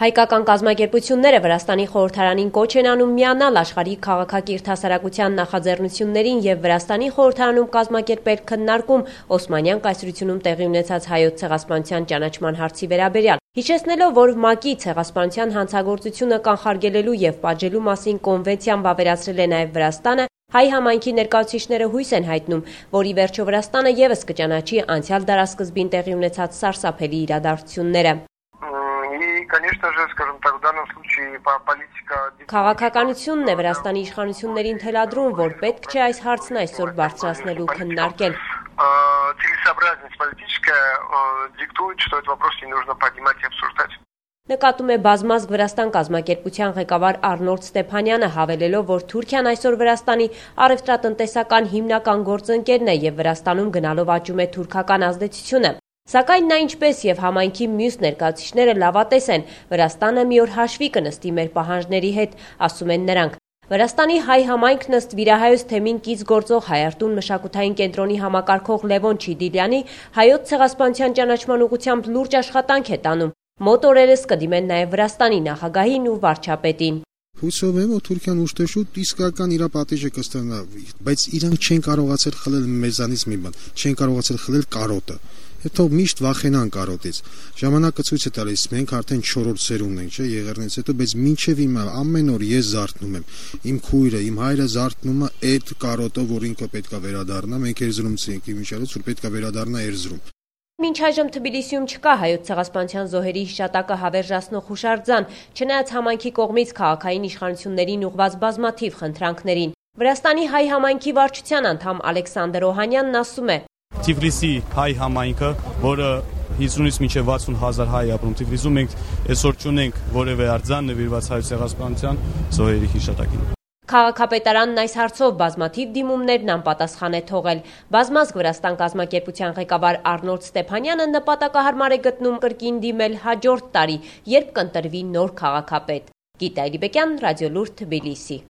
Հայկական կազմակերպությունները Վրաստանի խորհրդարանին կոչ են անում միանալ աշխարհի քաղաքակիրթ հասարակության նախաձեռնություններին եւ Վրաստանի խորհրդարանում կազմակերպել քննարկում Օսմանյան կայսրությունում տեղի ունեցած հայոց ցեղասպանության ճանաչման հարցի վերաբերյալ, հիշեցնելով, որ ՄԱԿ-ի ցեղասպանության հանցագործությունը կանխարգելելու եւ պատժելու մասին կոնվենցիան վավերացրել է նաեւ Վրաստանը, հայ համայնքի ներկայացուցիչները հույս են հայտնում, որ ի վերջո Վրաստանը եւս կճանաչի անցյալ դարասկզբին տեղի ունեցած սարսափելի իրադարձությունները։ Конечно же, скажем так, в данном случае политика... Քաղաքականությունն է Վրաստանի իշխանություններին թելադրում, որ պետք չէ այս հարցն այսօր բարձրացնելու քննարկել։ Целесообразность политическая диктует, что этот вопрос не нужно поднимать и обсуждать. Նկատում է բազմազգ Վրաստան կազմակերպության ղեկավար Արնոլդ Ստեփանյանը, հավելելով, որ Թուրքիան այսօր Վրաստանի առևտրատնտեսական հիմնական գործընկերն է եւ Վրաստանում գնալով աճում է թուրքական ազդեցությունը։ Սակայն նա ինչպես եւ համայնքի մյուս ներկայացուցիչները լավատես են, Վրաստանը մի օր հաշվի կնստի մեր պահանջների հետ, ասում են նրանք։ Վրաստանի հայ համայնքն ըստ վիրահայոց թեմին կից գործող Հայարտուն մշակութային կենտրոնի համակարգող Լևոն Չիդիլյանի հայոց ցեղասպանության ճանաչման ուղղությամբ լուրջ աշխատանք է տանում։ Մոտ օրերս կդիմեն նաեւ Վրաստանի նախագահին ու վարչապետին։ Հուսով եմ, որ Թուրքիան ուշտեշուտ իսկական իր պատիժը կստանա, բայց իրանք չեն կարողացել խլել մեզանից մի բան, չեն կարողացել խլել կարոտը։ Հետո միշտ վախենան կարոտից։ Ժամանակը ցույց է տալիս, մենք արդեն 4-րդ սերունդն ենք, չէ, եղերնից հետո, բայց մինչև հիմա ամեն օր ես զարթնում եմ։ Իմ քույրը, իմ հայրը զարթնում է այդ կարոտով, որ ինքը պետքա վերադառնա, մենք Էրզրումցի ենք, իմիջիալից, որ պետքա վերադառնա Էրզրում։ Մինչ այժմ Թբիլիսիում չկա հայոց ցեղասպանության զոհերի հիշատակը հավերժացնող հուշարձան, չնայած համայնքի կողմից քաղաքային իշխանություններին ուղղված բազմաթիվ խնդրանքներին։ Վրաստանի հայ համայնքի վարչության անդամ Ալեքսանդր Օհանյանն ասում է. Թիֆլիսի հայ համայնքը, որը 50-ից մինչև 60,000 հայ ապրում Թիֆլիսում, մենք այսօր չունենք որևէ արձան նվիրված հայոց ցեղասպանության զոհերի հիշատակին։ Քաղաքապետարանն այս հարցով բազմաթիվ դիմումներն անպատասխան է թողել։ Բազմազգ Վրաստան կազմակերպության ղեկավար Արնոլդ Ստեփանյանը նպատակահարմար է գտնում կրկին դիմել հաջորդ տարի, երբ կընտրվի նոր քաղաքապետ։ Գիտա Էլիբեկյան, Ռադիոլուրջ, Թբիլիսի։